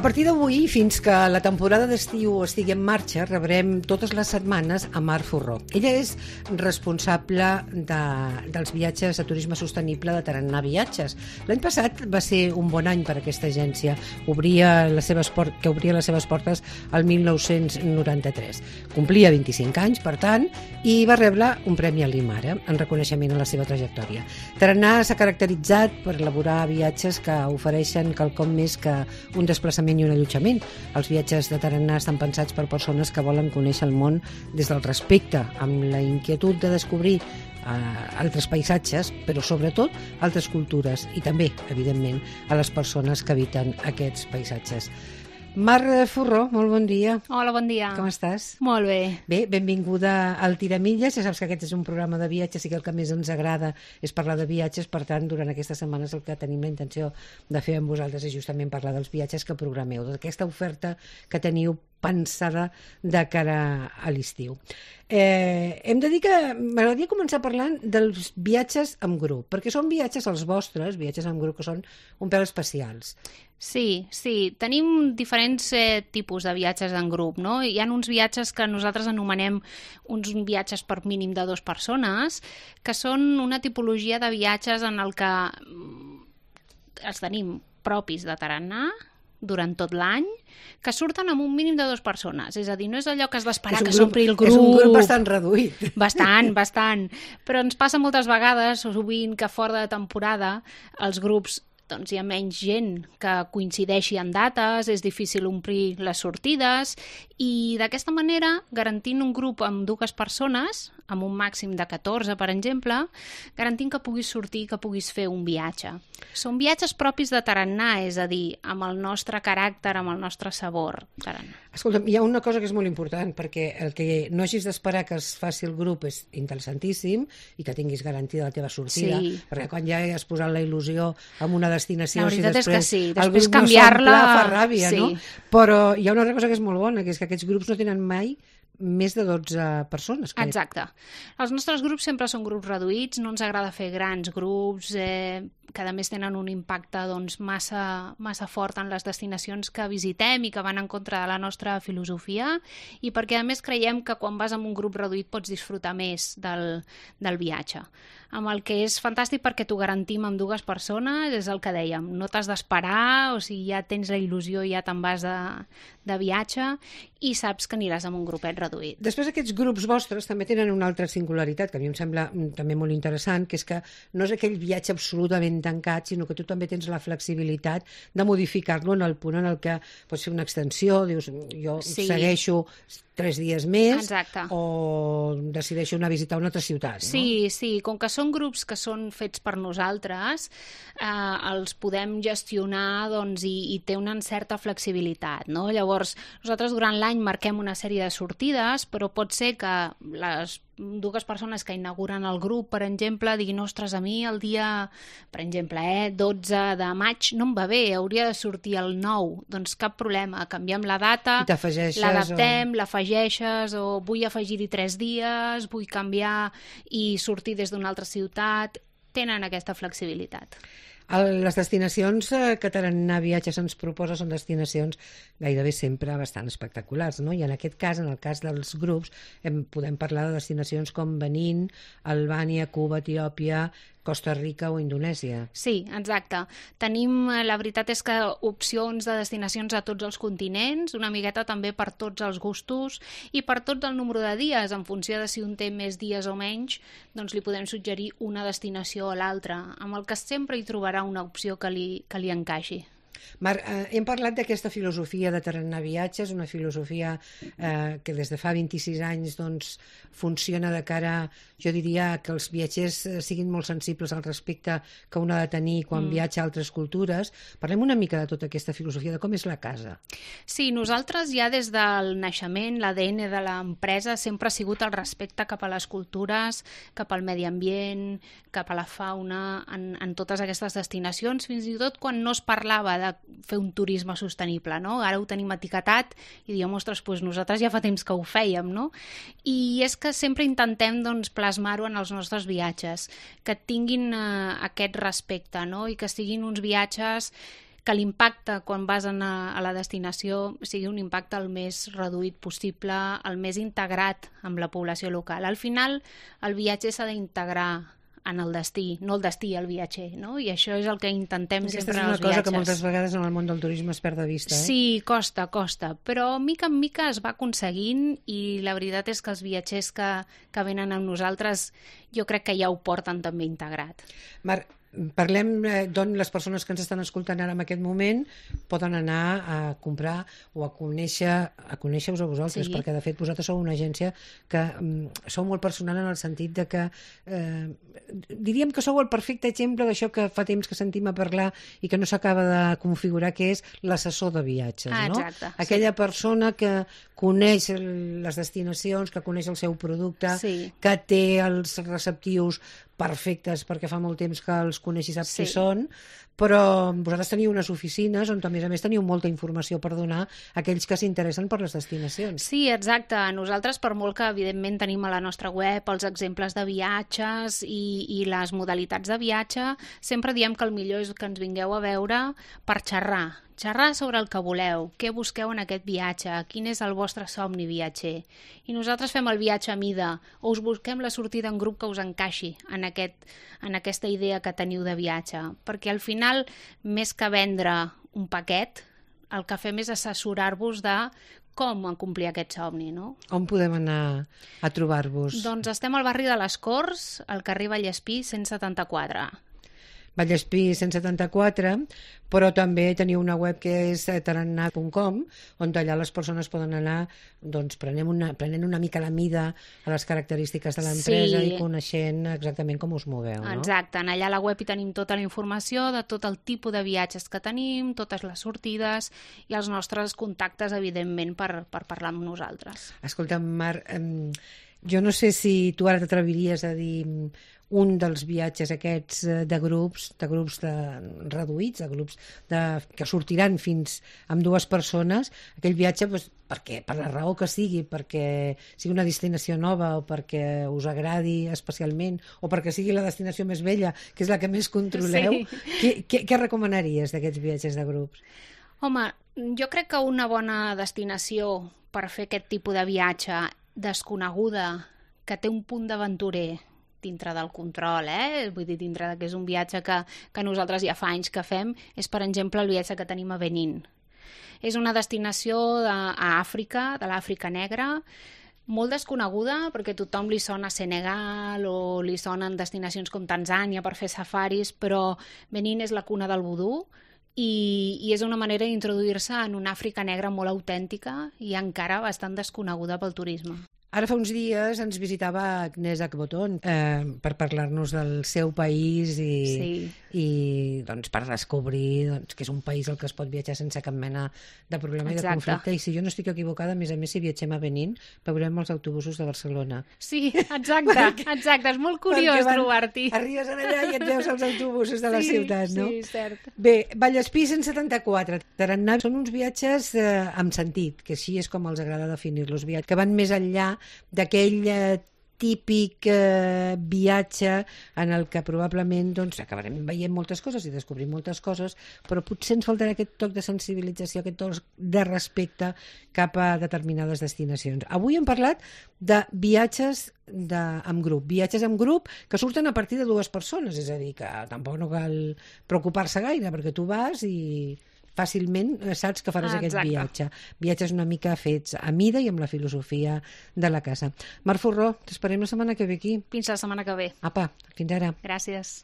A partir d'avui, fins que la temporada d'estiu estigui en marxa, rebrem totes les setmanes a Mar Furró. Ella és responsable dels viatges de turisme sostenible de Tarannà Viatges. L'any passat va ser un bon any per a aquesta agència, que obria les seves portes al 1993. Complia 25 anys, per tant, i va rebre un premi a l'IMARA en reconeixement a la seva trajectòria. Tarannà s'ha caracteritzat per elaborar viatges que ofereixen quelcom més que un desplaçament i un allotjament. Els viatges de Tarannà estan pensats per persones que volen conèixer el món des del respecte, amb la inquietud de descobrir altres paisatges, però sobretot altres cultures i també, evidentment, a les persones que habiten aquests paisatges. Mar Furró, molt bon dia. Hola, bon dia. Com estàs? Molt bé. Bé, benvinguda al Tiramilles. Ja saps que aquest és un programa de viatges i que el que més ens agrada és parlar de viatges. Per tant, durant aquestes setmanes el que tenim la intenció de fer amb vosaltres és justament parlar dels viatges que programeu, d'aquesta oferta que teniu pensada de cara a l'estiu. Hem de dir que m'agradaria començar parlant dels viatges amb grup, perquè són viatges els vostres, viatges amb grup que són un pèl especials. Sí. Tenim diferents tipus de viatges en grup, no? Hi ha uns viatges que nosaltres anomenem uns viatges per mínim de 2 persones, que són una tipologia de viatges en el que els tenim propis de Tarannà durant tot l'any, que surten amb un mínim de 2 persones. És a dir, no és allò que has d'esperar que s'ompli el grup. És un grup bastant reduït. Bastant. Però ens passa moltes vegades, o sovint, que fora de temporada els grups hi ha menys gent que coincideixi en dates, és difícil omplir les sortides i d'aquesta manera, garantint un grup amb 2 persones, amb un màxim de 14, per exemple, garantint que puguis sortir, que puguis fer un viatge. Són viatges propis de Tarannà, és a dir, amb el nostre caràcter, amb el nostre sabor. Tarannà. Escolta'm, hi ha una cosa que és molt important, perquè el que no hagis d'esperar que es faci el grup és interessantíssim i que tinguis garantida la teva sortida, perquè quan ja has posat la il·lusió en una destinació, la veritat si després, és que sí, el després grup canviar-la no s'omple, fa ràbia, sí. No? Però hi ha una altra cosa que és molt bona, que és que aquests grups no tenen mai més de 12 persones. Crec. Exacte. Els nostres grups sempre són grups reduïts, no ens agrada fer grans grups que a més tenen un impacte massa fort en les destinacions que visitem i que van en contra de la nostra filosofia i perquè a més creiem que quan vas amb un grup reduït pots disfrutar més del viatge. Amb el que és fantàstic perquè t'ho garantim amb 2 persones, és el que dèiem, no t'has d'esperar, o sigui, ja tens la il·lusió, ja te'n vas de viatge i saps que aniràs amb un grupet reduït. Després aquests grups vostres també tenen una altra singularitat que a mi em sembla també molt interessant, que és que no és aquell viatge absolutament tancat, sinó que tu també tens la flexibilitat de modificar-lo en el punt en el que pots fer una extensió, dius, jo segueixo 3 dies més. Exacte. O decideixo anar a visitar una altra ciutat. No? Sí, com que són grups que són fets per nosaltres, els podem gestionar i té una certa flexibilitat. No? Llavors, nosaltres durant l'any marquem una sèrie de sortides, però pot ser que les 2 persones que inauguren el grup, per exemple, diguin, ostres, a mi el dia, per exemple, 12 de maig no em va bé, hauria de sortir el 9. Doncs cap problema, canviem la data, l'adaptem, l'afegeixes, o vull afegir-hi 3 dies, vull canviar i sortir des d'una altra ciutat. Tenen aquesta flexibilitat. Les destinacions que Tarannà Viatges ens proposa són destinacions gairebé sempre bastant espectaculars, no? I en aquest cas, en el cas dels grups, podem parlar de destinacions com Benín, Albània, Cuba, Etiòpia, Costa Rica o Indonèsia. Sí, exacte. Tenim, la veritat és que opcions de destinacions a tots els continents, una miqueta també per tots els gustos i per tots el número de dies, en funció de si un té més dies o menys, doncs li podem suggerir una destinació o l'altra, amb el que sempre hi trobarà una opció que li encaixi. Marc, hem parlat d'aquesta filosofia de Tarannà Viatges, una filosofia que des de fa 26 anys doncs, funciona de cara, jo diria, que els viatgers siguin molt sensibles al respecte que un ha de tenir quan viatja a altres cultures. Parlem una mica de tota aquesta filosofia, de com és la casa. Sí, nosaltres ja des del naixement, l'ADN de l'empresa sempre ha sigut el respecte cap a les cultures, cap al medi ambient, cap a la fauna, en totes aquestes destinacions, fins i tot quan no es parlava de fer un turisme sostenible, no? Ara ho tenim etiquetat i diem, ostres, doncs nosaltres ja fa temps que ho fèiem, no? I és que sempre intentem plasmar-ho en els nostres viatges, que tinguin aquest respecte, no? I que siguin uns viatges que l'impacte quan vas a la destinació sigui un impacte el més reduït possible, el més integrat amb la població local. Al final, el viatger s'ha d'integrar en el destí, no el destí al viatger, no? I això és el que intentem sempre en els viatges. Aquesta és una cosa que moltes vegades en el món del turisme es perd de vista, eh? Sí, costa, però mica en mica es va aconseguint i la veritat és que els viatgers que venen amb nosaltres jo crec que ja ho porten també integrat. Marc, parlem d'on les persones que ens estan escoltant ara en aquest moment poden anar a comprar o a conèixer-vos a vosaltres, sí. Perquè de fet vosaltres sou una agència que sou molt personal en el sentit de que diríem que sou el perfecte exemple d'això que fa temps que sentim a parlar i que no s'acaba de configurar, que és l'assessor de viatges, no? Exacte, aquella persona que coneix les destinacions, que coneix el seu producte, sí. Que té els receptius perfectes perquè fa molt temps que els coneix i sap qui són, però vosaltres teniu unes oficines on a més teniu molta informació per donar a aquells que s'interessen per les destinacions. Sí, exacte. Nosaltres, per molt que evidentment tenim a la nostra web els exemples de viatges i les modalitats de viatge, sempre diem que el millor és que ens vingueu a veure per xerrar sobre el que voleu, què busqueu en aquest viatge, quin és el vostre somni viatger. I nosaltres fem el viatge a mida, o us busquem la sortida en grup que us encaixi en aquesta idea que teniu de viatge. Perquè al final, més que vendre un paquet, el que fem és assessorar-vos de com complir aquest somni, no? On podem anar a trobar-vos? Doncs estem al barri de les Corts, al carrer Vallespí 174. Vallespí 174, però també teniu una web que és tarannà.com, on allà les persones poden anar doncs, prenent una mica la mida a les característiques de l'empresa i coneixent exactament com us moveu, no? Exacte, allà a la web hi tenim tota la informació de tot el tipus de viatges que tenim, totes les sortides i els nostres contactes, evidentment, per parlar amb nosaltres. Escolta'm, Marc, jo no sé si tu ara t'atreviries a dir un dels viatges aquests de grups reduïts, de grups que sortiran fins amb 2 persones, aquell viatge, doncs, per la raó que sigui, perquè sigui una destinació nova o perquè us agradi especialment o perquè sigui la destinació més vella, que és la que més controleu, sí. Què recomanaries d'aquests viatges de grups? Home, jo crec que una bona destinació per fer aquest tipus de viatge desconeguda, que té un punt d'aventurer dintre del control, vull dir, dintre que és un viatge que nosaltres ja fa anys que fem, és, per exemple, el viatge que tenim a Benín. És una destinació a Àfrica, de l'Àfrica negra, molt desconeguda, perquè tothom li sona Senegal o li sonen destinacions com Tanzània per fer safaris, però Benín és la cuna del vudú i és una manera d'introduir-se en una Àfrica negra molt autèntica i encara bastant desconeguda pel turisme. Ara fa uns dies ens visitava Agnès Akboton per parlar-nos del seu país i doncs, per descobrir que és un país al que es pot viatjar sense cap mena de problema i de conflicte. I si jo no estic equivocada, a més, si viatgem a Benín, veurem els autobusos de Barcelona. Sí, exacte. És molt curiós trobar-t'hi. Arribes allà i et veus els autobusos de la ciutat, no? Sí, cert. Bé, Vallespí 174, Tarannà, són uns viatges amb sentit, que així és com els agrada definir-los, que van més enllà d'aquell típic viatge en el que probablement acabarem veient moltes coses i descobrim moltes coses, però potser ens faltarà aquest toc de sensibilització, aquest toc de respecte cap a determinades destinacions. Avui hem parlat de viatges amb grup que surten a partir de 2 persones, és a dir, que tampoc no cal preocupar-se gaire, perquè tu vas i fàcilment saps que faràs aquest viatge. Viatges una mica fets a mida i amb la filosofia de la casa. Marc Furró, t'esperem la setmana que ve aquí. Fins la setmana que ve. Apa, fins ara. Gràcies.